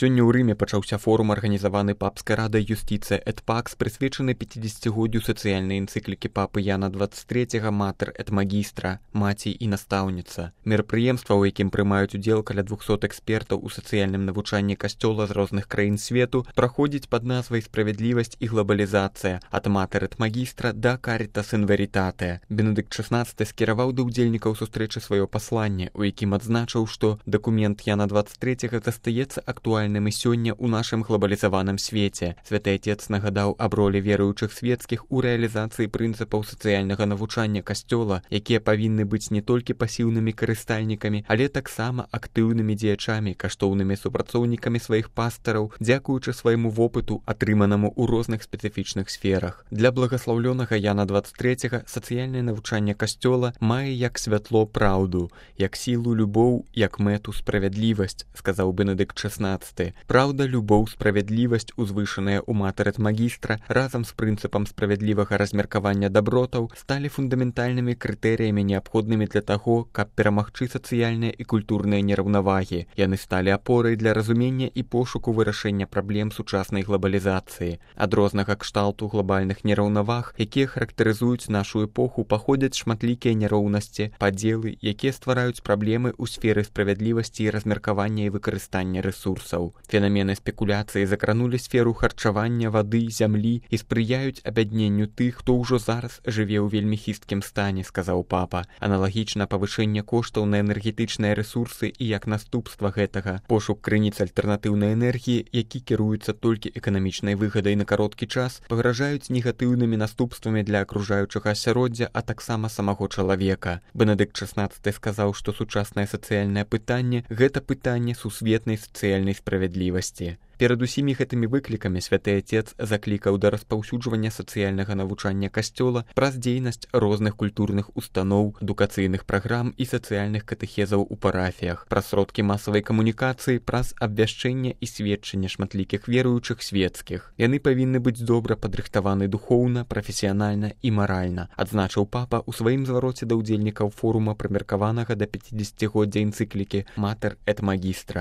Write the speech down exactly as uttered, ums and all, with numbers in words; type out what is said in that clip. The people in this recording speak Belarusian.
Сёння ў Рыме пачаўся форум, арганізаваны папскай радай «Юстиция et Pax», прысвечаны пяцідзесяцігоддзю сацыяльнай энцыклікі папы Яна двадцять третьего «Mater et Magistra» – «Маці і настаўніца». Мерапрыемства, у якім прымаюць удзел каля двухсот экспертаў у сацыяльным навучанні касцёла з розных краін свету, праходзіць пад назвай «Справядлівасць і глобалізацыя» ад «Mater et Magistra» да «Caritas in Veritate». Бенедыкт шаснаццаты скіраваў да ўдзельнікаў сустрэчы сваё пасланне, у якім адзначыў, што дакумент Яна двадцять третьего застаецца актуальным і сёння ў нашым глобалізаваным свеце. Святы Отец нагадаў аб ролі веруючых свецкіх у рэалізацыі прынцыпаў сацыяльнага навучання касцёла, якія павінны быць не толькі пасіўнымі карыстальнікамі, але таксама актыўнымі дзеячамі, каштоўнымі супрацоўнікамі сваіх пастараў, дзякуючы свайму вопыту, атрыманаму ў розных спецыфічных сферах. Для благаслаўлёнага Яна двадцять третьего сацыяльнае навучанне касцёла мае як святло праўду, як сілу любоў, як мэту справядлівасць, сказаў Бенедыкт шаснаццаты. Праўда, любоў, справядлівасць, узвышаная ў «Mater et Magistra», разам з прынцыпам справядлівага размеркавання дабротаў, сталі фундаментальнымі крытэрыямі, неабходнымі для таго, каб перамагчы сацыяльныя і культурныя нераўнавагі. Яны сталі апорай для разумення і пошуку вырашэння праблем сучаснай глобалізацыі. Ад рознага кшталту глобальных нераўнаваг, якія характарызуюць нашу эпоху, паходзяць шматлікія няроўнасці, падзелы, якія ствараюць праблемы ў сферы справядлівасці і размеркавання і выкарыстання рэсурсаў. Фенамены спекуляцыі закранулі сферу харчавання, вады, зямлі і спрыяюць абядненню тых, хто ўжо зараз жыве ў вельмі хісткім стане, сказаў папа. Аналагічна павышэнне коштаў на энергетычныя рэсурсы і як наступства гэтага пошук крыніц альтэрнатыўнай энергіі, які кіруецца толькі эканамічнай выгадай на кароткі час, пагражаюць негатыўнымі наступствамі для акружаючага асяроддзя, а таксама самого чалавека. Бенедыкт шаснаццаты сказаў, што сучаснае сацыяльнае пытанне – гэта пытанне сусветнай сацыяльнай справядлівасці. Перад усімі гэтымі выклікамі Святы Отец заклікаў да распаўсюджвання сацыяльнага навучання касцёла праз дзейнасць розных культурных устаноў, адукацыйных праграм і сацыяльных катэхезаў у парафіях, праз сродкі масавай камунікацыі, праз абвяшчэнне і сведчанне шматлікіх веруючых свецкіх. Яны павінны быць добра падрыхтаваны духоўна, прафесіянальна і маральна, адзначыў папа ў сваім звароце да ўдзельнікаў форума, прымеркаванага да пяцідзесяцігоддзя энцыклікі «Mater et Magistra».